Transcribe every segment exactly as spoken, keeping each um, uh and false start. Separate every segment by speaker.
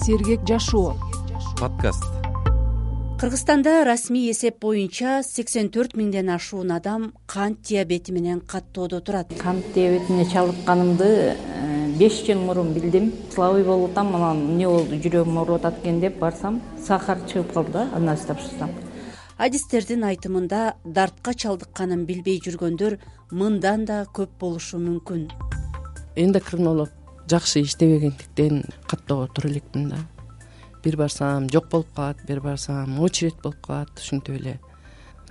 Speaker 1: Сергек жашоо
Speaker 2: подкаст.
Speaker 3: Кыргызстанда расмий эсеп боюнча сексен төрт миңден ашуун адам кант диабети менен каттоодо турат.
Speaker 4: Кант диабетине чалдыкканымды беш жыл мурун билдим. Слабый болуп атам, анан эмне болду, жүрөгүм ооруп атат экен деп барсам, сахар чыгып калды да, андан тапшырсам.
Speaker 3: Адистердин айтымында дартка чалдыкканын билбей жүргөндөр мындан да көп болушу мүмкүн.
Speaker 5: Эндокринолог жакшы иштебегендиктен каттоого тура элекмин да. Бир барсам жок болуп калат, бир барсам очередь болуп калат, ушинтип эле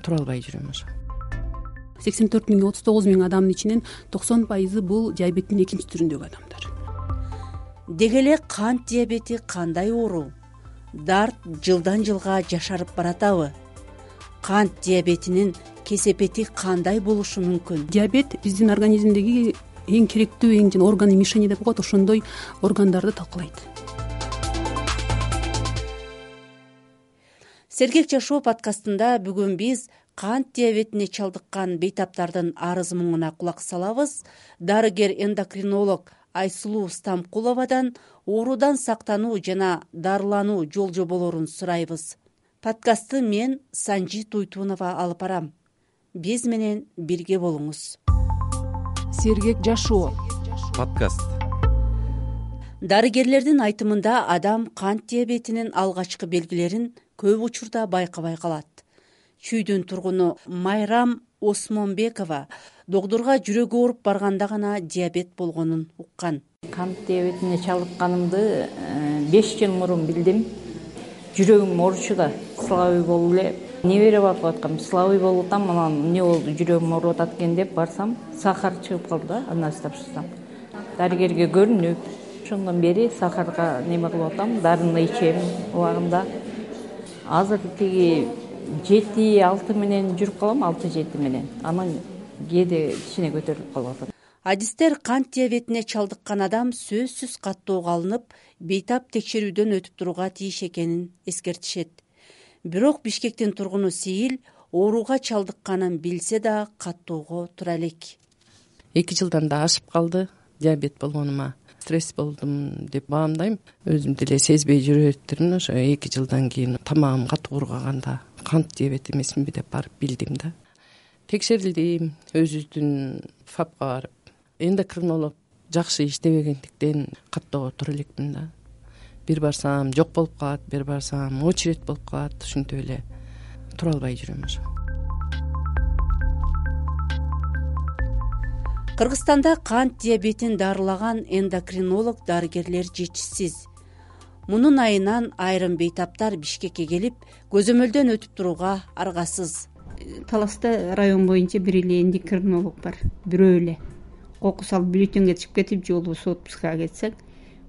Speaker 5: тура албай жүрөм ошо.
Speaker 1: сексен төрт миң отуз тогуз миң адамдын ичинен токсон пайызы бул диабеттин экинчи түрүндөгү адамдар.
Speaker 3: Деги эле кант диабети кандай оору? Дарт жылдан жылга жашарып баратабы? Кант диабетинин кесепети кандай болушу мүмкүн?
Speaker 1: Диабет биздин организмдеги эң керектүү эң жана органы мишени деп коет, ошондой органдарды талкалайт.
Speaker 3: Сергек жашоо подкастында бүгүн биз кант диабетине чалдыккан бейтаптардын арыз муңуна кулак салабыз. Дарыгер-эндокринолог Айсулуу Стамкуловадан оорудан сактануу жана дарылануу жол жоболорун сурайбыз. Подкастты мен Санжи Туйтунова алып барам. Биз менен бирге болуңуз.
Speaker 1: Сергек жашоо
Speaker 2: Подкаст.
Speaker 3: Дарыгерлердин айтымында адам кант диабетинин алгачкы белгилерин көп учурда байкабай калат. Чүйдүн тургуну Майрам Осмонбекова доктурга жүрөгү ооруп барганда гана диабет болгонун уккан.
Speaker 4: Кант диабетине чалдыкканымды беш жыл мурун билдим. Жүрөгүм ооручу да, слабый болуп эле небере барып аткам. Слабый болуп атам, анан эмне болду, жүрөгүм ооруп атат экен деп барсам, сахар чыгып калды да, андан тапшырсам. Дарыгерге көрүнүп, ошондон бери сахарга неме кылып атам, дарыны ичем убагында. Азыр тиги жети алты менен жүрүп калам, алты жети менен. Анан кээде кичине көтөрүлүп калып атат.
Speaker 3: Адистер кант диабетине чалдыккан адам сөзсүз каттоого алынып, бейтап текшерүүдөн өтүп турууга тийиш экенин эскертишет. Бирок Бишкектин тургуну Сейил ооруга чалдыкканын билсе да каттоого тура элек.
Speaker 5: эки жылдан да ашып калды диабет болгонума. Стресс болдум деп баамдайм. Өзүм деле сезбей жүрөттүрмүн. Ошо эки жылдан кийин тамагым катуу кургаганда кант диабет эмесминби деп барып билдим да. Текшерилдим, өзүбүздүн фапка барып. Эндокринолог жакшы иштебегендиктен каттоого тура элекмин да. Бир барсам жок болуп калат, бир барсам очередь болуп калат, ушинтип эле тура албай жүрөм ошо.
Speaker 3: Кыргызстанда кант диабетин дарылаган эндокринолог дарыгерлер жетишсиз. Мунун айынан айрым бейтаптар Бишкекке келип, көзөмөлдөн өтүп турууга аргасыз.
Speaker 6: Таласта район боюнча бир эле эндокринолог бар, бирөө эле. Кокус алып бюллетенге чыгып кетип, же болбосо отпускага кетсек,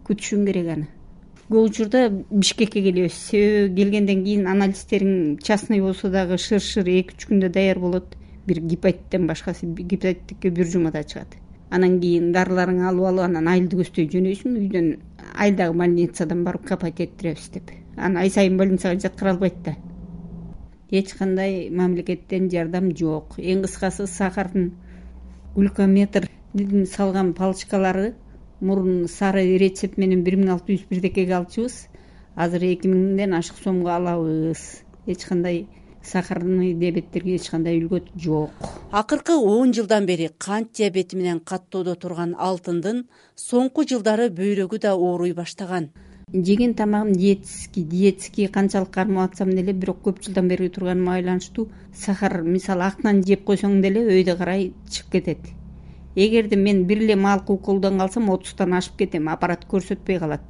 Speaker 6: күтүшүң керек аны. Көп учурда Бишкекке келебиз. Себеби келгенден кийин анализдерин частный болсо дагы шыр-шыр эки үч күндө даяр болот. Бир гепатиттен башкасы, гепатитке бир жумада чыгат. Анан кийин дарыларыңы алып алып, анан айылды көздөй жөнөйсүң, үйдөн айылдагы больницадан барып капать эттиребиз деп. Анан ай сайын больницага жаткыра албайт да. Эч кандай мамлекеттен жардам жок. Эң кыскасы сахардын глюкометр салган палочкалары мурун сары рецепт менен бир миң алты жүз бирдекеге алчубыз. Азыр эки миңден ашык сомго алабыз. Эч кандай сахарный диабеттерге эч кандай үлгөт жок.
Speaker 3: Акыркы он жылдан бери кант диабети менен каттоодо турган алтындын соңку жылдары бөйрөгү да ооруй баштаган.
Speaker 6: Жеген тамагым диетический, диетический канчалык кармап атсам деле, бирок көп жылдан бери турганыма байланыштуу сахар, мисалы актан жеп койсоң деле өйдө карай чыгып кетет. Эгерде мен бир эле малкы уколдон калсам отуздан ашып кетем, аппарат көрсөтпөй калат.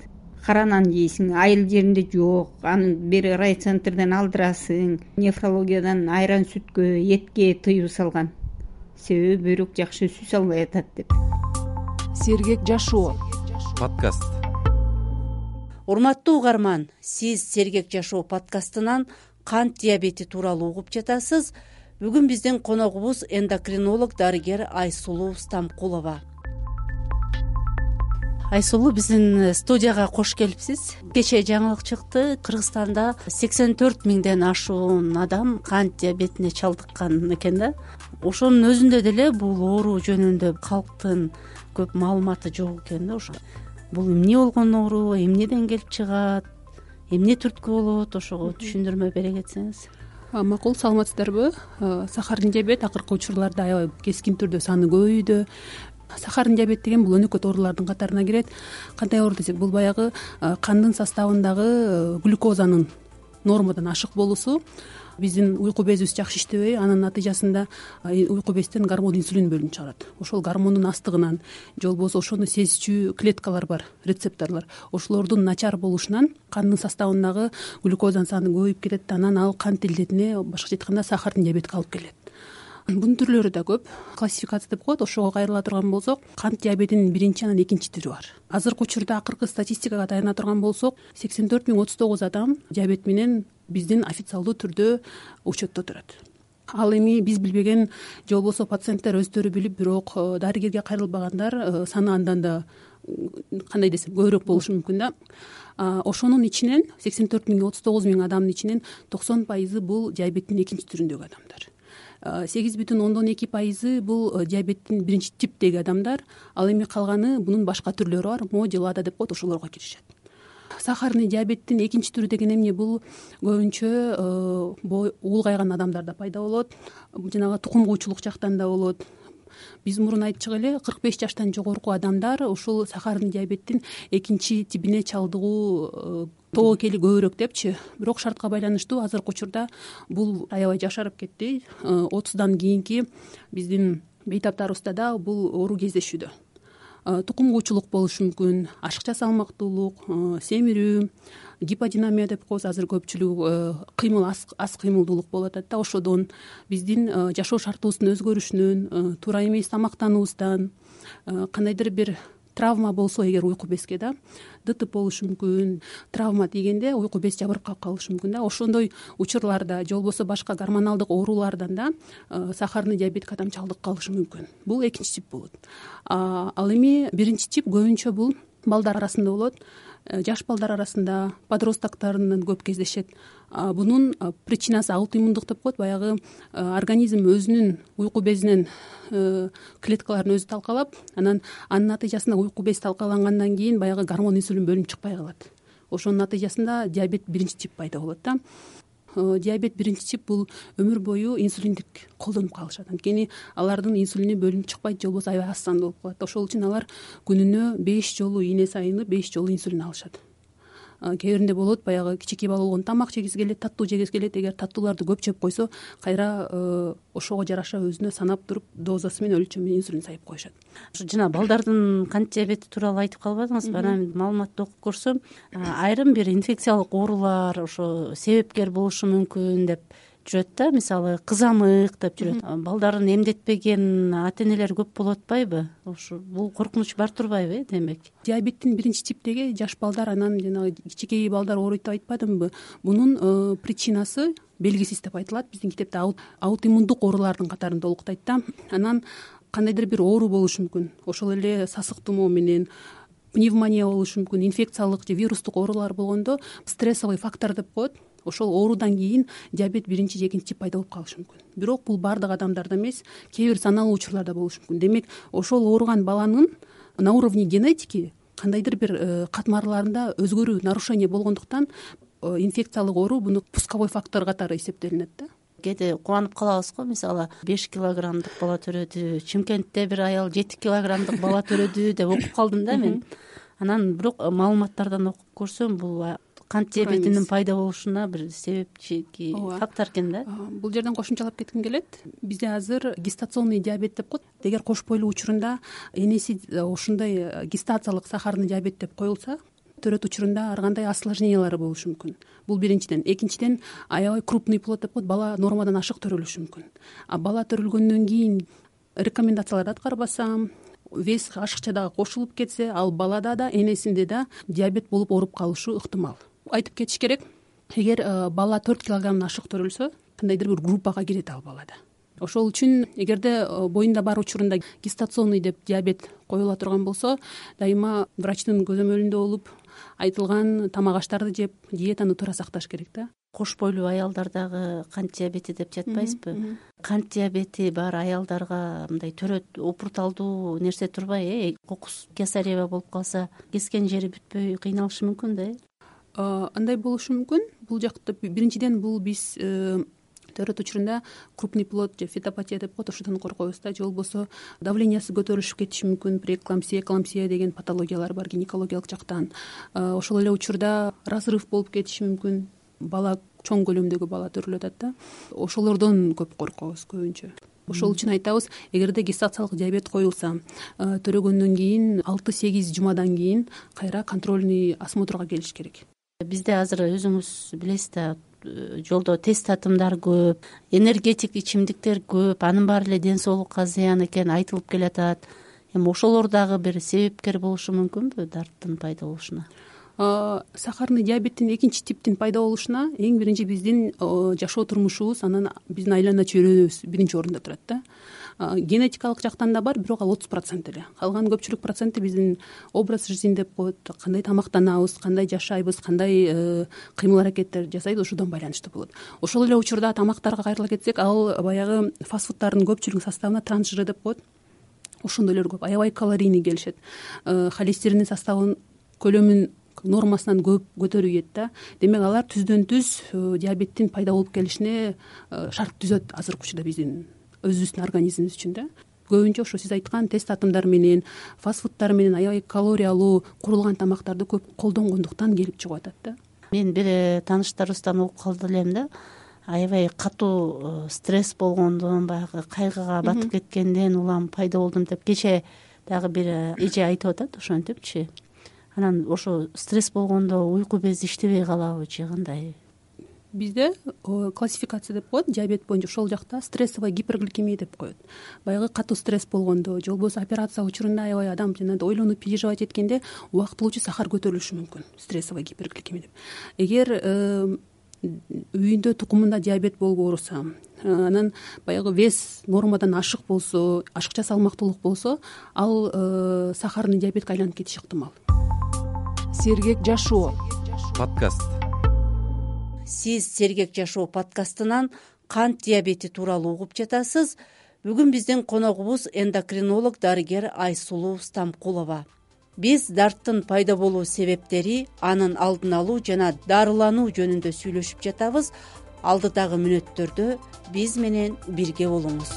Speaker 6: Каранан жейсиң, айыл жеринде жок, аны бери райцентрден алдырасың, нефрологиядан айран сүткө, этке тыюу салган. Себеби бөйрөк жакшы сүз албай атат деп.
Speaker 1: Сергек жашоо
Speaker 2: Подкаст.
Speaker 3: Урматтуу угарман, сиз Сергек жашоо подкастынан кант диабети тууралуу угуп жатасыз. Бүгүн биздин коногубуз эндокринолог дарыгер Айсулуу Стамкулова. Айсулуу, биздин студияга кош келипсиз. Кечээ жаңылык чыкты, Кыргызстанда сексен төрт миңден ашуун адам кант диабетине чалдыккан экен да. Ошонун өзүндө деле бул оору жөнүндө калктын көп маалыматы жок экен да. Ошо бул эмне болгон оору, эмнеден келип чыгат, эмне түрткү болот, ошого түшүндүрмө бере кетсеңиз.
Speaker 1: Макул, саламатсыздарбы? Сахардын диабет акыркы учурларда аябай кескин түрдө саны көбөйдү. Сахардын диабет деген бул өнөкөт оорулардын катарына кирет. Кандай оору десек, бул баягы кандын составындагы глюкозанын нормадан ашык болуусу. Биздин уйку безибиз жакшы иштебей, анын натыйжасында уйку безден гормон инсулин бөлүнүп чыгарат. Ошол гормондун астыгынан же болбосо ошону сезчү клеткалар бар, рецепторлор, ошолордун начар болушунан кандын составындагы глюкозанын саны көбөйүп кетет, анан ал кант илдетине, башкача айтканда сахардын диабетке алып келет. Бунун түрлөрү да көп. Классификация деп коет. Ошого кайрыла турган болсок, кант диабетинин биринчи анан экинчи түрү бар. Азыркы учурда акыркы статистикага таяна турган болсок, сексен төрт миң отуз тогуз адам диабет менен биздин официалдуу түрдө учетто турат. Ал эми биз билбеген же болбосо пациенттер өздөрү билип, бирок дарыгерге кайрылбагандар саны андан да, кандай десем, көбүрөөк болушу мүмкүн да. Ошонун ичинен сексен төрт миң отуз тогуз миң адамдын ичинен токсон пайызы бул диабеттин экинчи түрүндөгү адамдар. сегиз бүтүн ондон эки пайызы бул диабеттин биринчи типтеги адамдар, ал эми калганы бунун башка түрлөрү бар, мо же лада деп коет, ошолорго киришет. Сахарный диабеттин экинчи түрү деген эмне? Бул көбүнчө улгайган адамдарда пайда болот, жанагы тукум куучулук жактан да болот. Биз мурун айтчык эле, кырк беш жаштан жогорку адамдар ушул сахарный диабеттин экинчи тибине чалдыгуу тобокели көбүрөөк депчи. Бирок шартка байланыштуу азыркы учурда бул аябай жашарып кетти. отуздан кийинки биздин бейтаптарыбызда да бул оору кездешүүдө. Тукум куучулук болушу мүмкүн, ашыкча салмактуулук, семирүү, гиподинамия деп коебуз. Азыр көпчүлүгү кыймыл, аз кыймылдуулук болуп атат да. Ошодон биздин жашоо шартыбыздын өзгөрүшүнөн, туура эмес тамактануубуздан, кандайдыр бир травма болсо эгер уйку безге да, ДТП болушу мүмкүн. Травма дегенде уйку без жабырып калып калышы мүмкүн да. Ошондой учурларда же болбосо башка гормоналдык оорулардан да сахарный диабетке адам чалдыгып калышы мүмкүн. Бул экинчи тип болот. Ал эми биринчи тип көбүнчө бул балдар арасында болот. Жаш балдар арасында, подростоктарынан көп кездешет. Бунун причинасы аутоиммундук деп коет. Баягы организм өзүнүн уйку безинен клеткаларын өзү талкалап, анан анын натыйжасында уйку без талкалангандан кийин баягы гормон инсулин бөлүнүп чыкпай калат. Ошонун натыйжасында диабет биринчи тип пайда болот да. Диабет биринчи тип бул өмүр бою инсулиндик колдонуп калышат. Анткени алардын инсулини бөлүнүп чыкпайт, же болбосо аябай аз санда болуп калат. Ошол үчүн алар күнүнө беш жолу ийнө сайыны беш жолу инсулин алышат. Кээ биринде болот, баягы кичинекей бала болгондо тамак жегиси келет, таттуу жегиси келет. Эгер таттууларды көп жеп койсо, кайра ошого жараша өзүнө санап туруп дозасы менен өлчөмү менен инсулин сайып коюшат.
Speaker 3: Жана балдардын кант диабети тууралуу айтып калбадыңызбы? Анан маалыматты окуп көрсөм, айрым бир инфекциялык оорулар ошо себепкер болушу мүмкүн деп жүрөт да. Мисалы, кызамык деп жүрөт. Балдарын эмдетпеген ата энелер көп болуп атпайбы? Ошо бул коркунуч бар турбайбы, демек?
Speaker 1: Диабеттин биринчи типтеги жаш балдар, анан жанагы кичинекей балдар ооруйт деп айтпадымбы? Бунун причинасы белгисиз деп айтылат. Биздин китепте аутоиммундук оорулардын катарында олуктайт да. Анан кандайдыр бир оору болушу мүмкүн. Ошол эле сасык тумоо менен, пневмония болушу мүмкүн, инфекциялык же вирустук оорулар болгондо стрессовый фактор деп коет. Ошол оорудан кийин диабет биринчи же экинчи тип пайда болуп калышы мүмкүн. Бирок бул баардык адамдарда эмес, кээ бир саналуу учурларда болушу мүмкүн. Демек, ошол ооруган баланын на уровне генетики кандайдыр бир катмарларында өзгөрүү, нарушение болгондуктан инфекциялык оору буну пусковой фактор катары эсептелинет да.
Speaker 3: Кээде кубанып калабыз го, мисалы, беш килограммдык бала төрөдү, Чымкентте бир аял жети килограммдык бала төрөдү деп окуп калдым да мен. Анан бирок маалыматтардан окуп көрсөм, бул кант диабетинин пайда болушуна бир себепчи фактор экен да.
Speaker 1: Бул жерден кошумчалап кетким келет. Бизде азыр гестационный диабет деп коет. Эгер кош бойлуу учурунда энеси ушундай гестациялык сахарный диабет деп коюлса, төрөт учурунда ар кандай осложнениялары болушу мүмкүн. Бул биринчиден. Экинчиден, аябай крупный плод деп коет. Бала нормадан ашык төрөлүшү мүмкүн. А бала төрөлгөндөн кийин рекомендацияларды аткарбаса, вес ашыкча дагы кошулуп кетсе, ал балада да, энесинде да диабет болуп ооруп калышы ыктымал. Айтып кетиш керек, эгер бала төрт килограммдан ашык төрөлсө, кандайдыр бир группага кирет ал балада. Ошол үчүн эгерде боюнда бар учурунда гестационный деп диабет коюла турган болсо, дайыма врачтын көзөмөлүндө болуп, айтылган тамак аштарды жеп, диетаны туура сакташ керек да.
Speaker 3: кош бойлуу аялдар дагы кант диабети деп жатпайбызбы? Кант диабети бар аялдарга мындай төрөт опурталдуу нерсе турбай, э кокус кесарева болуп калса кескен жери бүтпөй кыйналышы мүмкүн да, э?
Speaker 1: Андай болушу мүмкүн. Бул жакта биринчиден бул биз төрөт учурунда крупный плод же фетопатия деп коет, ошодон коркобуз да. Же болбосо давлениясы көтөрүлүшүп кетиши мүмкүн, преэклампсия, эклампсия деген патологиялар бар гинекологиялык жактан. Ошол эле учурда разрыв болуп кетиши мүмкүн. Бала чоң көлөмдөгү бала төрөлүп атат да. Ошолордон көп коркобуз көбүнчө. Ошол үчүн айтабыз, эгерде гестациялык диабет коюлса, төрөгөндөн кийин алты-сегиз жумадан кийин кайра контрольный осмотрга келиш керек.
Speaker 3: Бизде азыр өзүңүз билесиз да, жолдо тест татымдар көп, энергетик ичимдиктер көп, анын баары эле ден соолукка зыян экени айтылып келатат. Эми ошолор дагы бир себепкер болушу мүмкүнбү дарттын пайда болушуна?
Speaker 1: Сахарный диабеттин экинчи типтин пайда болушуна эң биринчи биздин жашоо турмушубуз, анан биздин айлана чөйрөбүз биринчи орунда турат да. Генетикалык жактан да бар, бирок ал отуз процент эле. Калган көпчүлүк проценти биздин образ жизни деп коет, кандай тамактанабыз, кандай жашайбыз, кандай кыймыл аракеттер жасайбыз, ошодон байланыштуу болот. Ошол эле учурда тамактарга кайрыла кетсек, ал баягы фастфуддардын көпчүлүгүнүн составына транжиры деп коет. Ошондойлор көп, аябай калорийный келишет. Холестериндин составын, көлөмүн нормасынан көп көтөрүп ийет да. Демек алар түздөн түз диабеттин пайда болуп келишине шарт түзөт азыркы учурда биздин өзүбүздүн организмибиз үчүн да. Көбүнчө ошо сиз айткан тест татымдар менен, фастфуддар менен аябай калориялуу курулган тамактарды көп колдонгондуктан келип чыгып атат да.
Speaker 3: Мен бир тааныштарыбыздан угуп калды элем да. Аябай катуу стресс болгондон, баягы кайгыга батып кеткенден улам пайда болдум деп кече дагы бир эже айтып атат ошентипчи. Анан ошо стресс болгондо уйку бези иштебей калабы же кандай?
Speaker 1: Бизде классификация деп коет, диабет боюнча ошол жакта стрессовая гипергликемия деп коет. Баягы катуу стресс болгондо, же болбосо операция учурунда аябай адам жанагындай ойлонуп переживать эткенде убактылуучу сахар көтөрүлүшү мүмкүн, стрессовая гипергликемия деп. Эгер үйүндө тукумунда диабет болуп ооруса, анан баягы вес нормадан ашык болсо, ашыкча салмактуулук болсо, ал сахарный диабетке айланып кетиши ыктымал.
Speaker 2: Сергек жашоо подкаст.
Speaker 3: Сиз Сергек жашоо подкастынан кант диабети тууралуу угуп жатасыз. Бүгүн биздин коногубуз эндокринолог дарыгер Айсулуу Стамкулова. Биз дарттын пайда болуу себептери, анын алдын алуу жана дарылануу жөнүндө сүйлөшүп жатабыз. Алдыдагы мүнөттөрдө биз менен бирге болуңуз.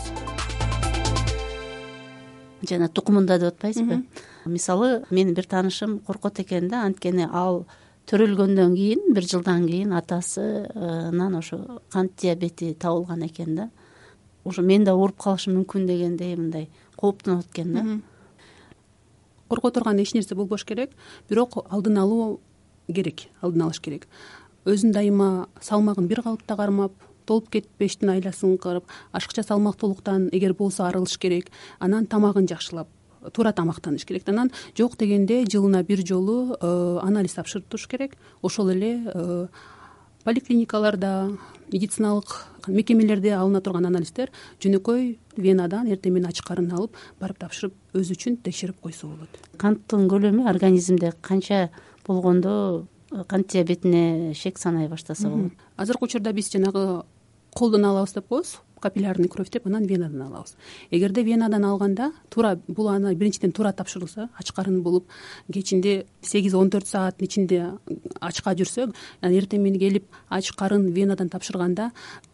Speaker 3: Жана тукумунда деп атпайсызбы? Мисалы, менин бир таанышым коркот экен да, анткени ал төрөлгөндөн кийин, бир жылдан кийин атасынан ошо кант диабети табылган экен да. Ошо мен да ооруп калышым мүмкүн дегендей мындай кооптонот экен да.
Speaker 1: Корко турган эч нерсе болбош керек, бирок алдын алуу керек, алдын алыш керек. Өзүн дайыма салмагын бир калыпта кармап, толуп кетпештин айласын кырып, ашыкча салмактуулуктан эгер болсо арылыш керек, анан тамагын жакшылап, туура тамактаныш керек. Анан жок дегенде жылына бир жолу анализ тапшырып туруш керек. Ошол эле поликлиникаларда, медициналык мекемелерде алына турган анализдер жөнөкөй венадан эртең менен ачык карын алып, барып тапшырып, өзү үчүн текшерип койсо болот.
Speaker 3: Канттын көлөмү организмде канча болгондо кант диабетине шек санай баштаса болот?
Speaker 1: Азыркы учурда биз жанагы колдон алабыз деп коебуз, капиллярный кровь деп, анан венадан алабыз. Эгерде венадан алганда, туура бул аны биринчиден туура тапшырылса, ачык карын болуп, кечинде сегиз он төрт сааттын ичинде ачка жүрсө, анан эртең менен келип ачык карын венадан тапшырганда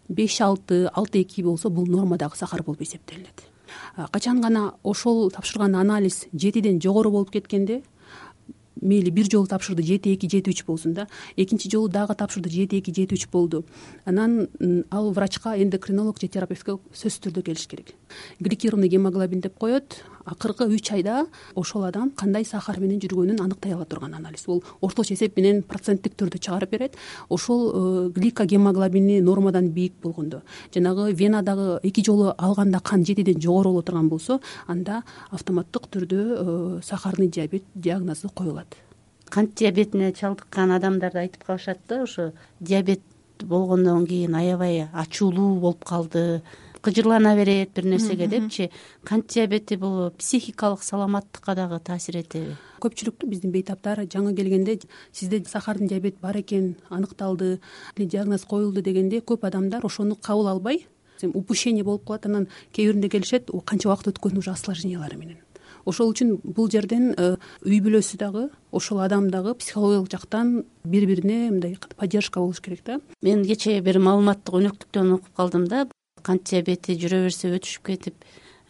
Speaker 1: беш алты алты эки болсо, бул нормадагы сахар болуп эсептелинет. Качан гана ошол тапшырган анализ жетиден жогору болуп кеткенде, мейли бир жолу тапшырды жети эки жети үч болсун да, экинчи жолу дагы тапшырды жети эки жети үч болду. Анан ал врачка, эндокринолог же терапевтке сөзсүз түрдө келиш керек. Гликированный гемоглобин деп коет. Акыркы үч айда ошол адам кандай сахар менен жүргөнүн аныктай ала турган анализ. Бул орточо эсеп менен проценттик түрдө чыгарып берет. Ошол гликогемоглобини нормадан бийик болгондо, жанагы венадагы эки жолу алганда кан жетиден жогору боло турган болсо, анда автоматтык түрдө сахарный диабет диагнозу коюлат.
Speaker 3: Кант диабетине чалдыккан адамдарды айтып калышат да, ошо диабет болгондон кийин аябай ачуулуу болуп калды, кыжырлана берет бир нерсеге депчи. Кант диабети бул психикалык саламаттыкка дагы таасир этеби?
Speaker 1: Көпчүлүктү биздин бейтаптар жаңы келгенде сизде сахардын диабет бар экен аныкталды, диагноз коюлду дегенде көп адамдар ошону кабыл албай упущение болуп калат. Анан кээ биринде келишет, канча убакыт өткөн уже осложнениялары менен. Ошол үчүн бул жерден үй бүлөсү дагы ошол адам дагы психологиялык жактан бири бирине мындай поддержка болуш керек да.
Speaker 3: Мен кечээ бир маалыматтык өнөктүктөн окуп калдым да. Кант диабети жүрө берсе өтүшүп кетип,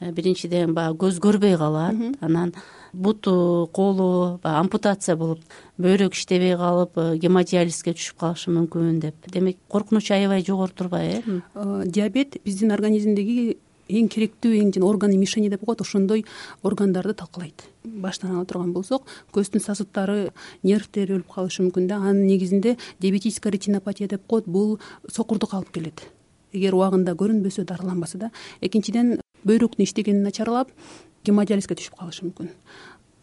Speaker 3: биринчиден баягы көз көрбөй калат, анан буту, колу ампутация болуп, бөйрөк иштебей калып, гемодиализге түшүп калышы мүмкүн деп. Демек, коркунуч аябай жогору турбайбы?
Speaker 1: э Диабет биздин организмдеги эң керектүү эң жана органы мишени деп коет, ошондой органдарды талкалайт. Баштан ала турган болсок, көздүн сосудтары, нервтери өлүп калышы мүмкүн да. Анын негизинде диабетическая ретинопатия деп коет, бул сокурдук алып келет. Эгер убагында көрүнбөсө, дарыланбаса да. Экинчиден, бөйрөктүн иштегени начарлап, гемодиализге түшүп калышы мүмкүн.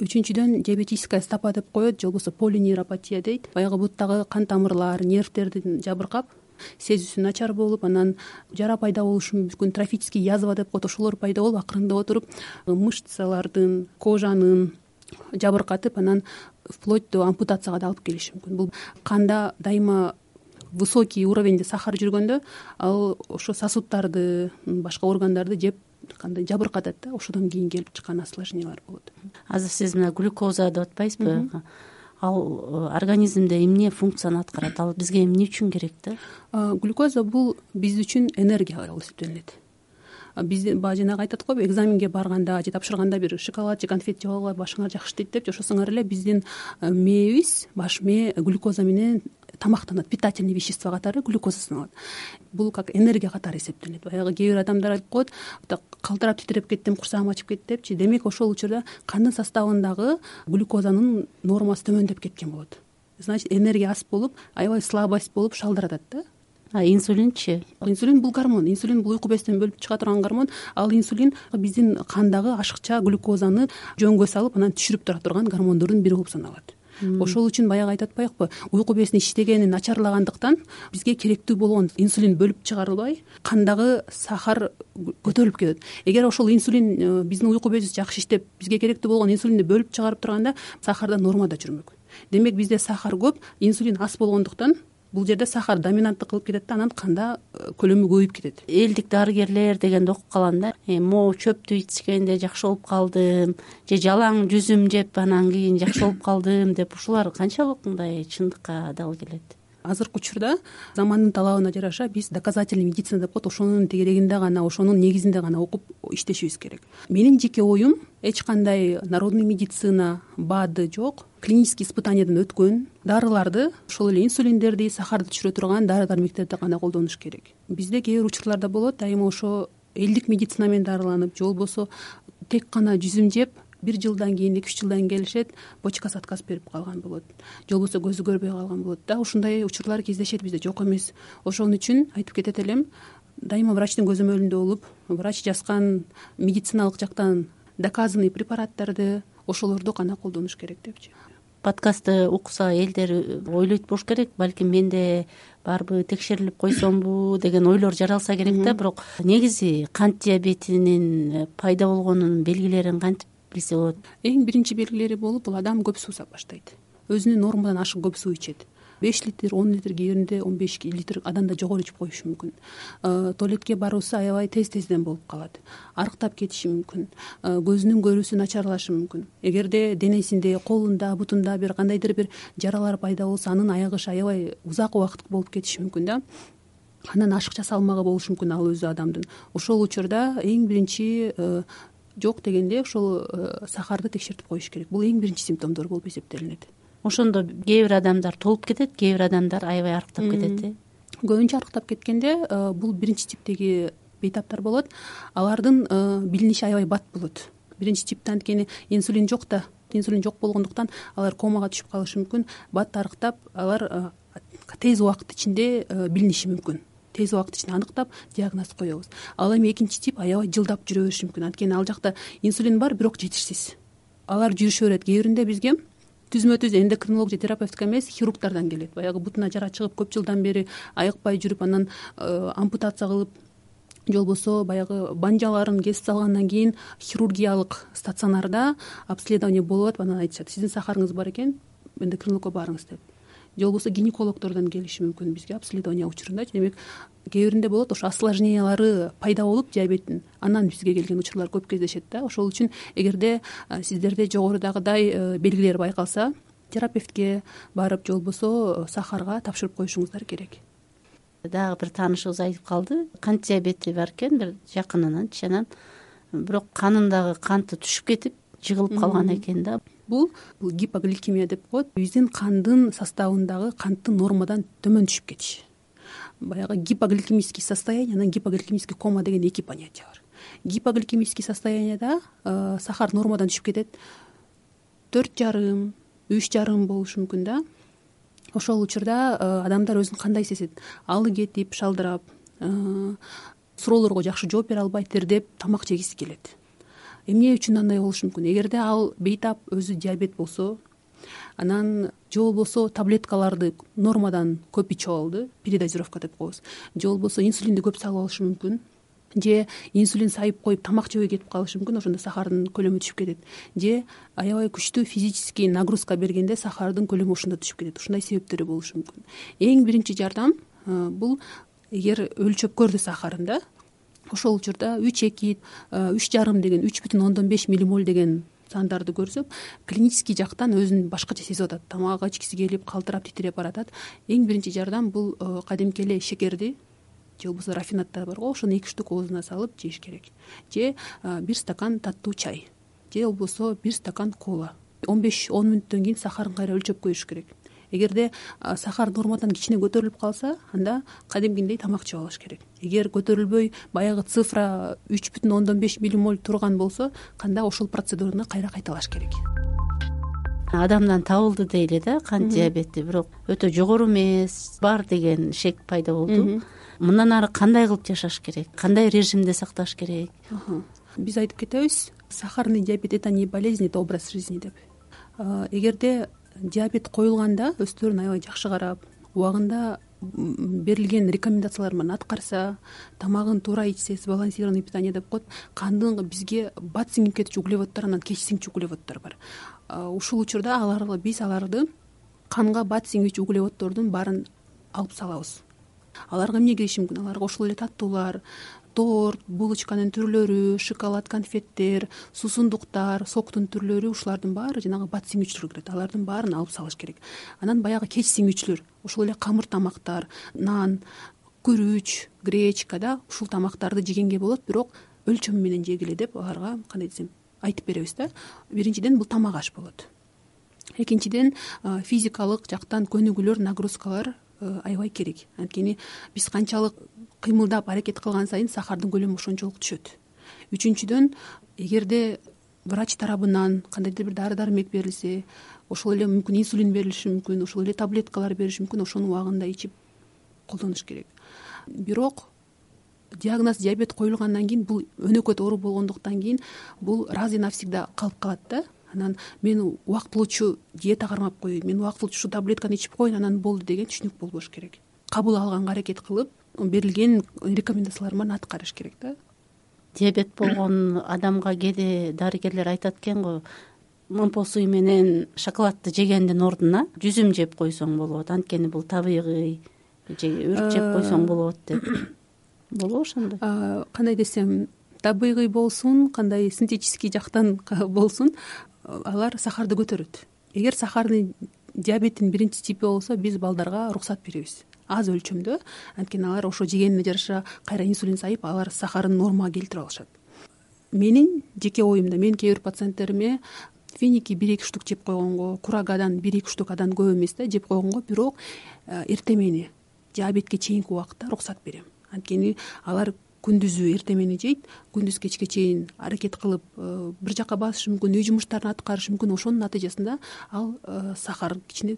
Speaker 1: Үчүнчүдөн, диабетическая стопа деп коет, же болбосо полинейропатия дейт. Баягы буттагы кан тамырлар, нервтердин жабыркап, сезүүсү начар болуп, анан жара пайда болушу мүмкүн. Трофический язва деп коет, ошолор пайда болуп, акырындап отуруп мышцалардын, кожанын жабыркатып, анан вплоть до ампутацияга да алып келиши мүмкүн. Бул канда дайыма высокий уровеньде сахар жүргөндө, ал ошо сосудтарды, башка органдарды жеп кандай жабыркатат да, ошодон кийин келип чыккан осложнениялар болот.
Speaker 3: Азыр сиз мына глюкоза деп атпайсызбы? Ал организмде эмне функцияны аткарат? Ал бизге эмне үчүн керек да?
Speaker 1: Глюкоза бул биз үчүн энергия болуп эсептелинет. Биз баягы жанагы айтат го, экзаменге барганда же тапшырганда бир шоколад же конфет жеп алгыла, башыңар жакшы дейт депчи, ошосуңар эле биздин мээбиз, баш мээ глюкоза менен тамактанат, питательный вещество катары глюкоза саналат. Бул как энергия катары эсептелинет. Баягы кээ бир адамдар айтып коет, калтырап титиреп кеттим, курсагым ачып кетти депчи. Демек, ошол учурда кандын составындагы глюкозанын нормасы төмөндөп кеткен болот. Значит, энергия аз болуп, аябай слабость болуп шалдыратат да.
Speaker 3: А инсулинчи?
Speaker 1: Инсулин бул гормон. Инсулин бул уйку безден бөлүп чыга турган гормон. Ал инсулин биздин кандагы ашыкча глюкозаны жөнгө салып, анан түшүрүп тура турган гормондордун бири болуп саналат. Ошол үчүн баягы айтып атпайбы, уйку безинин иштегени начарлагандыктан бизге керектүү болгон инсулин бөлүп чыгарылбай, кандагы сахар көтөрүлүп кетет. Эгер ошол инсулин биздин уйку безибиз жакшы иштеп, бизге керектүү болгон инсулинди бөлүп чыгарып турганда, сахар да нормада жүрмөк. Демек, бизде сахар көп, инсулин аз болгондуктан бул жерде сахар доминанттык кылып кетет да, анан канда көлөмү көбөйүп кетет.
Speaker 3: Элдик дарыгерлер дегенди окуп калам да. Могу чөптү ичкенде жакшы болуп калдым, же жалаң жүзүм жеп анан кийин жакшы болуп калдым деп, ушулар канчалык мындай чындыкка дал келет?
Speaker 1: Азыркы учурда замандын талабына жараша биз доказательный медицина деп коет, ошонун тегерегинде гана, ошонун негизинде гана окуп иштешибиз керек. Менин жеке оюм, эч кандай народный медицина, БАДы жок, клинический испытаниядан өткөн дарыларды, ошол эле инсулиндерди, сахарды түшүрө турган дары дармектерди гана колдонуш керек. Бизде кээ бир учурларда болот, дайыма ошо элдик медицина менен дарыланып, же болбосо тек гана жүзүм жеп, бир жылдан кийин, эки үч жылдан кийин келишет, почкасы отказ берип калган болот, же болбосо көзү көрбөй калган болот да. Ушундай учурлар кездешет бизде, жок эмес. Ошон үчүн айтып кетет элем, дайыма врачтын көзөмөлүндө болуп, врач жазган медициналык жактан доказанный препараттарды, ошолорду гана колдонуш керек депчи.
Speaker 3: Подкастты укса элдер ойлойт болуш керек, балким менде барбы, текшерилип койсомбу деген ойлор жаралса керек да. Бирок негизи кант диабетинин пайда болгонунун белгилерин кантип билсе болот?
Speaker 1: Эң биринчи белгилери болуп, бул адам көп суу баштайт. Өзүнүн нормадан ашык көп суу ичет. беш литр, он литр, кээ биринде он беш литр адамда жогору ичип коюшу мүмкүн. Туалетке баруусу аябай тез-тезден болуп калат. Арыктап кетиши мүмкүн. Көзүнүн көрүүсү начарлашы мүмкүн. Эгерде денесинде, колунда, бутунда бир кандайдыр бир жаралар пайда болсо, анын аягышы аябай узак убакыт болуп кетиши мүмкүн да. Анан ашыкча салмагы болушу мүмкүн ал өзү адамдын. Ошол учурда эң биринчи жок дегенде ошол сахарды текшертип коюш керек. Бул эң биринчи симптомдор болуп эсептелинет.
Speaker 3: Ошондо кээ бир адамдар толуп кетет, кээ бир адамдар аябай арыктап кетет.
Speaker 1: Көбүнчө арыктап кеткенде бул биринчи типтеги бейтаптар болот. Алардын билиниши аябай бат болот. Биринчи типте анткени инсулин жок да, инсулин жок болгондуктан алар комага түшүп калышы мүмкүн. Бат арыктап, алар тез убакыт ичинде билиниши мүмкүн. Тез убакыт ичинде аныктап диагноз коебуз. Ал эми экинчи тип аябай жылдап жүрө бериши мүмкүн. Анткени ал жакта инсулин бар, бирок жетишсиз. Алар жүрүшө берет. Кээ биринде бизге түзмө-түз эндокринолог же терапевтка эмес, хирургдардан келет. Баягы бутуна жара чыгып көп жылдан бери айыкпай жүрүп, анан ампутация кылып же болбосо баягы банжаларын кесип салгандан кийин хирургиялык стационарда обследование болуп атып анан айтышат сиздин сахарыңыз бар экен эндокринологко барыңыз деп. Же болбосо гинекологдордон келиши мүмкүн бизге обследование учурундачы. Демек кээ биринде болот ошо осложнениялары пайда болуп диабеттин анан бизге келген учурлар көп кездешет да. Ошол үчүн эгерде сиздерде жогорудагыдай белгилер байкалса терапевтке барып же болбосо сахарга тапшырып коюшуңуздар керек.
Speaker 3: Дагы бир таанышыбыз айтып калды, кант диабети бар экен бир жакынынанчы, анан бирок канындагы канты түшүп кетип жыгылып калган экен да.
Speaker 1: Бул гипогликемия деп коет. Биздин кандын составындагы канттын нормадан төмөн түшүп кетиши. Баягы гипогликемический состояние, анан гипогликемический кома деген эки понятие бар. Гипогликемический состояниеда сахар нормадан түшүп кетет. төрт жарым, үч жарым болушу мүмкүн да. Ошол учурда адамдар өзүн кандай сезет? Алы кетип, шалдырап, суроолорго жакшы жооп бере албай, тердеп, тамак жегиси келет. Эмне үчүн андай болушу мүмкүн? Эгерде ал бейтап өзү диабет болсо, анан же болбосо таблеткаларды нормадан көп ичип алды, передозировка деп коебуз. Же болбосо инсулинди көп салып алышы мүмкүн. Же инсулин сайып коюп тамак жебей кетип калышы мүмкүн, ошондо сахардын көлөмү түшүп кетет. Же аябай күчтүү физический нагрузка бергенде сахардын көлөмү ошондо түшүп кетет. Ушундай себептери болушу мүмкүн. Эң биринчи жардам бул эгер өлчөп көрдү сахарын да, ошол учурда үч эки, үч жарым деген үч бүтүн ондон беш миллимоль деген сандарды көрсөк, клинический жактан өзүн башкача сезип атат. Тамак ичкиси келип, калтырап, титиреп баратат. Эң биринчи жардам бул кадимки эле шекерди же болбосо рафинаттар бар го, ошону эки штук оозуна салып жеш керек. Же бир стакан таттуу чай, же болбосо бир стакан кола. он беш он мүнөттөн кийин сахарын кайра өлчөп коюш керек. Эгерде сахар нормадан кичине көтөрүлүп калса, анда кадимкидей тамак жеп алыш керек. Эгер көтөрүлбөй, баягы цифра үч бүтүн ондон беш миллимоль турган болсо, канда ошол процедураны кайра кайталаш керек.
Speaker 3: Адамдан табылды дейле да кант диабети, бирок өтө жогору эмес, бар деген шек пайда болду. Мындан ары кандай кылып жашаш керек? Кандай режимде сакташ керек?
Speaker 1: Биз айтып кетебиз, сахарный диабет это не болезнь, это образ жизни деп. Эгерде диабет коюлганда өздөрүн аябай жакшы карап, убагында берилген рекомендациялар менен аткарса, тамагын туура ичсе, сбалансированный питание деп коет, кандын бизге бат сиңип кетчү углеводдор, анан кеч сиңчү углеводдор бар. Ушул учурда аларды биз аларды канга бат сиңүүчү углеводдордун баарын алып салабыз. Аларга эмне кириши мүмкүн? Аларга ошол эле таттуулар, торт, булочканын түрлөрү, шоколад, конфеттер, суусундуктар, соктун түрлөрү, ушулардын баары жанагы бат сиңүүчүлөр кирет. Алардын баарын алып салыш керек. Анан баягы кеч сиңүүчүлөр, ошол эле камыр тамактар, нан, күрүч, гречка да, ушул тамактарды жегенге болот, бирок өлчөмү менен жегиле деп аларга кандай десем айтып беребиз да. Биринчиден бул тамак аш болот. Экинчиден физикалык жактан көнүгүүлөр, нагрузкалар аябай керек. Анткени биз канчалык кыймылдап аракет кылган сайын сахардын көлөмү ошончолук түшөт. Үчүнчүдөн, эгерде врач тарабынан кандайдыр бир дары-дармек берилсе, ошол эле мүмкүн инсулин берилиши мүмкүн, ошол эле таблеткалар бериши мүмкүн, ошону убагында ичип колдонуш керек. Бирок диагноз диабет коюлгандан кийин бул өнөкөт оору болгондуктан кийин бул раз и навсегда калып калат да. Анан мен убактылуучу диета кармап коеюн, мен убактылуучу ушу таблетканы ичип коеюн, анан болду деген түшүнүк болбош керек. Кабыл алганга аракет кылып, берилген рекомендациялар менен аткарыш керек да.
Speaker 3: Диабет болгон адамга кээде дарыгерлер айтат экен го, момпо суй менен шоколадты жегендин ордуна жүзүм жеп койсоң болот, анткени бул табигый, же өрүк жеп койсоң болот деп. Болобу ошондой?
Speaker 1: Кандай десем, табигый болсун, кандай синтетический жактан болсун, алар сахарды көтөрөт. Эгер сахарный диабеттин биринчи типи болсо, биз балдарга уруксат беребиз. Аз өлчөмдө, анткени алар ошо жегенине жараша кайра инсулин сайып, алар сахарын нормага келтире алышат. Менин жеке оюмда, мен кээ бир пациенттериме финики бир эки штук жеп койгонго, курагадан бир эки штук адан көп эмес да жеп койгонго, бирок эрте мени диабетке чейинки убакытта уруксат берем. Анткени алар күндүзү эрте мени жейт, күндүз кечке чейин аракет кылып бир жака басышы мүмкүн, үй жумуштарын аткарышы мүмкүн, ошонун натыйжасында ал сахар кичине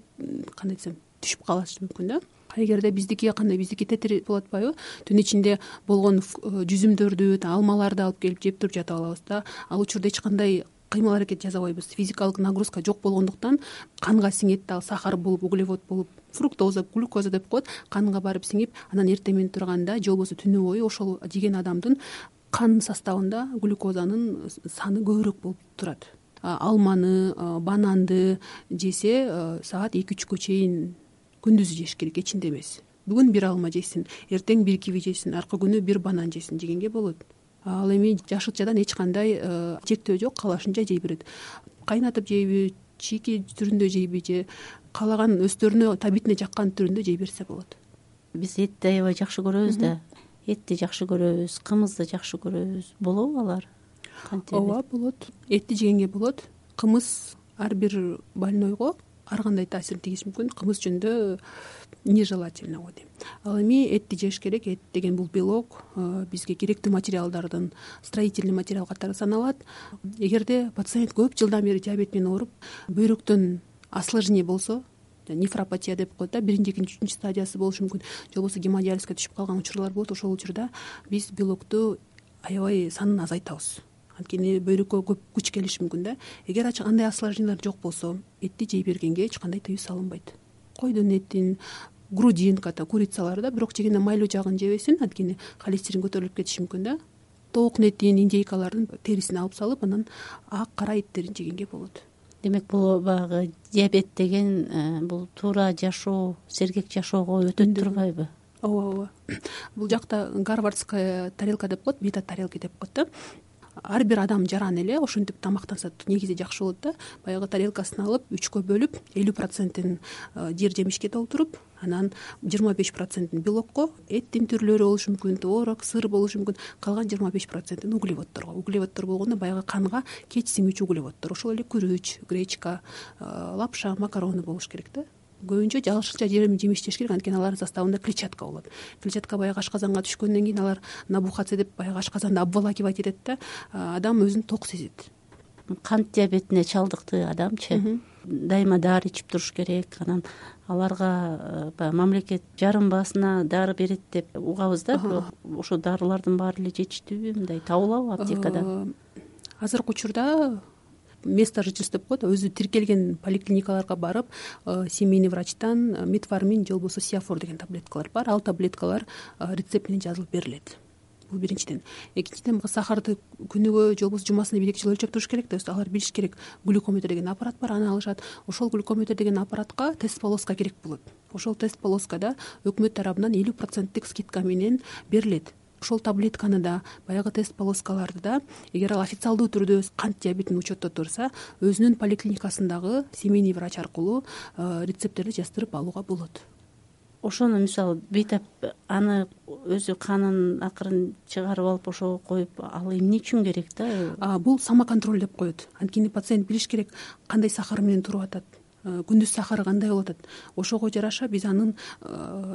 Speaker 1: кандай десем түшүп калышы мүмкүн да. Эгерде биздики кандай, биздики тетир болуп атпайбы, түн ичинде болгон жүзүмдөрдү, алмаларды алып келип жеп туруп жатып алабыз да. Ал учурда эч кандай кыймыл аракет жасабайбыз, физикалык нагрузка жок болгондуктан канга сиңет, ал сахар болуп, углевод болуп, фруктоза, глюкоза деп коет, канга барып сиңип, анан эртең менен турганда же болбосо түнү бою ошол жеген адамдын кан составында глюкозанын саны көбүрөөк болуп турат. Алманы, бананды жесе саат эки үчкө чейин күндүзү жеш керек, кечинде эмес. Бүгүн бир алма жесин, эртең бир киви жесин, аркы күнү бир банан жесин жегенге болот. Ал эми жашылчадан эч кандай чектөө жок, каалашынча жей берет. Кайнатып жейби, чийки түрүндө жейби же каалаган өстөрүнө табитине жаккан түрүндө жей берсе болот.
Speaker 6: Биз этти аябай жакшы көрөбүз да. Этти жакшы көрөбүз, кымызды жакшы көрөбүз. Болобу алар?
Speaker 1: Ооба, болот. Этти жегенге болот. Кымыз ар бир больнойго ар кандай таасирин тийгизиши мүмкүн. Кымыз жөнүндө нежелательно го дейм. Ал эми этти жеш керек. Эт деген бул белок, бизге керектүү материалдардын строительный материал катары саналат. Эгерде пациент көп жылдан бери диабет менен ооруп, бөйрөктөн осложнение болсо, нефропатия деп коет да, биринчи, экинчи, үчүнчү стадиясы болушу мүмкүн, же болбосо гемодиализге түшүп калган учурлар болот. Ошол учурда биз белокту аябай санын азайтабыз. Анткени бөйрөккө көп күч келиши мүмкүн да. Эгер андай осложнениялар жок болсо, этти жей бергенге эч кандай тыюу салынбайт. Койдун этин, грудинка, курицаларды да, бирок жегенде майлуу жагын жебесин, анткени холестерин көтөрүлүп кетиши мүмкүн да. Тоок этин, индейкалардын терисин алып салып, анан ак кара эттерин жегенге болот.
Speaker 6: Демек бул баягы диабет деген бул туура жашоо, сергек жашоого өтөт турбайбы?
Speaker 1: Ооба, ооба. Бул жакта гарвардская тарелка деп коет, бета тарелки деп коет да. Ар бир адам жаран эле ошентип тамактанса негизи жакшы болот да. Баягы тарелкасын алып, үчкө бөлүп, элүү процентин жер жемишке толтуруп, анан жыйырма беш процентин белокко, эттин түрлөрү болушу мүмкүн, творог, сыр болушу мүмкүн, калган жыйырма беш процентин углеводторго. Углеводтор болгондо баягы канга кеч сиңүүчү углеводтор. Ошол эле күрүч, гречка, лапша, макароны болуш керек да. Көбүнчө жашылча жемиш жеш керек, анткени алардын составында клетчатка болот. Клетчатка баягы ашказанга түшкөндөн кийин алар набухаться деп баягы ашказанды обволакивать этет да, адам өзүн ток сезет.
Speaker 6: Кант диабетине чалдыктуу адамчы дайыма дары ичип туруш керек, анан аларга мамлекет жарым баасына дары берет деп угабыз да, бирок ошол дарылардын баары эле жетиштүүбү, мындай табылабы аптекада?
Speaker 1: Азыркы учурда место жительства деп коет, өзү тиркелген поликлиникаларга барып, семейный врачтан метформин же болбосо сиафор деген таблеткалар бар. Ал таблеткалар рецепт менен жазылып берилет. Бул биринчиден. Экинчиден, сахарды күнүгө же болбосо жумасына бир эки жолу өлчөп туруш керек да. Алар билиш керек. Глюкометр деген аппарат бар, аны алышат. Ошол глюкометр деген аппаратка тест полоска керек болот. Ошол тест полоскада өкмөт тарабынан элүү проценттик скидка менен берилет. Ошол таблетканы да, баягы тест полоскаларды да, эгер ал официалдуу түрдө кант диабетин учетто турса, өзүнүн поликлиникасындагы семейный врач аркылуу рецепттерди жаздырып алууга болот.
Speaker 6: Ошону мисалы бейтап аны өзү канын акырын чыгарып алып ошого коюп, ал эмне үчүн керек да?
Speaker 1: Бул самоконтроль деп коет. Анткени пациент билиш керек кандай сахар менен туруп атат, күндүз сахары кандай болуп атат. Ошого жараша биз анын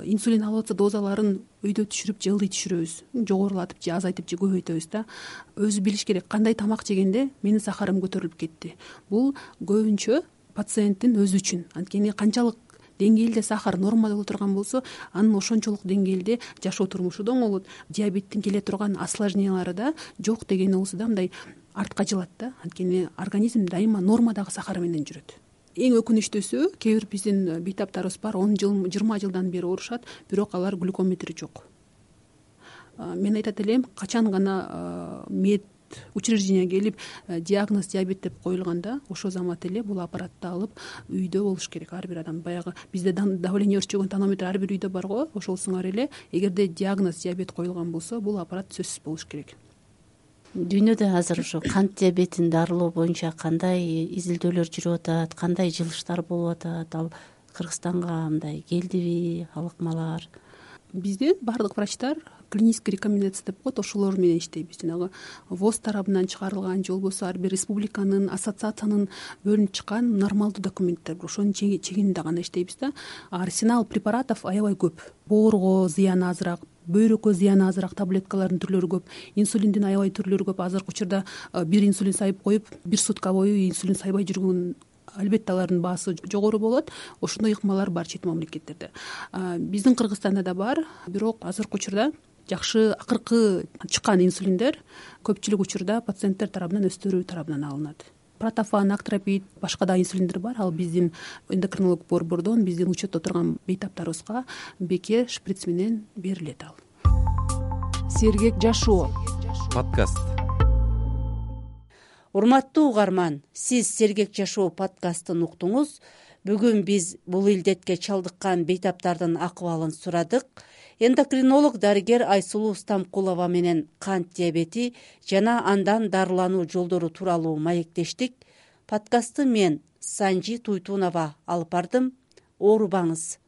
Speaker 1: инсулин алып атса дозаларын өйдө түшүрүп же ылдый түшүрөбүз, жогорулатып же азайтып же көбөйтөбүз да. Өзү билиш керек кандай тамак жегенде менин сахарым көтөрүлүп кетти. Бул көбүнчө пациенттин өзү үчүн. Анткени канчалык деңгээлде сахар нормада боло турган болсо, анын ошончолук деңгээлде жашоо турмушу да оңолот. Диабеттин келе турган осложнениялары да жок деген болсо да мындай артка жылат да. Анткени организм дайыма нормадагы сахар менен жүрөт. Эң өкүнүчтүүсү, кээ бир биздин бейтаптарыбыз бар, он жыл, жыйырма жылдан бери оорушат, бирок алар глюкометри жок. Мен айтат элем, качан гана мед учреждениеге келип диагноз диабет деп коюлганда, ошол замат эле бул аппаратты алып үйдө болуш керек ар бир адам. Баягы бизде давление өлчөгөн тонометр ар бир үйдө бар го, ошол сыңар эле эгерде диагноз диабет коюлган болсо, бул аппарат сөзсүз болуш керек.
Speaker 6: Дүйнөдө азыр ушу кант диабетин дарылоо боюнча кандай изилдөөлөр жүрүп атат, кандай жылыштар болуп атат? Ал Кыргызстанга мындай келдиби, алыкмалар?
Speaker 1: Бизде баардык врачтар клинический рекомендация деп коет, ошолор менен иштейбиз. Жанагы ВОЗ тарабынан чыгарылган же болбосо ар бир республиканын, ассоциациянын бөлүнүп чыккан нормалдуу документтер бар. Ошонун чегинде гана иштейбиз да. Арсенал препаратов аябай көп. Боорго зыяны азыраак, бөйрөккө зыяны азыраак таблеткалардын түрлөрү көп, инсулиндин аябай түрлөрү көп. Азыркы учурда бир инсулин сайып коюп, бир сутка бою инсулин сайбай жүргөн, албетте алардын баасы жогору болот. Ошондой ыкмалар бар чет мамлекеттерде. Биздин Кыргызстанда да бар, бирок азыркы учурда жакшы акыркы чыккан инсулиндер көпчүлүк учурда пациенттер тарабынан, өздөрү тарабынан алынат. протофан, актропид, башка да инсулиндер бар. Ал биздин эндокринолог борбордон биздин учетто турган бейтаптарыбызга бекер шприц менен берилет. Ал
Speaker 2: сергек жашоо
Speaker 7: подкаст.
Speaker 3: Урматтуу угарман, сиз Сергек жашоо подкастын уктуңуз. Бүгүн биз бул илдетке чалдыккан бейтаптардын акыбалын сурадык. Эндокринолог дарыгер Айсулуу Стамкулова менен кант диабети жана андан дарылануу жолдору тууралуу маектештик. Подкастты мен Санжи Туйтунова алып бардым. Оорубаңыз.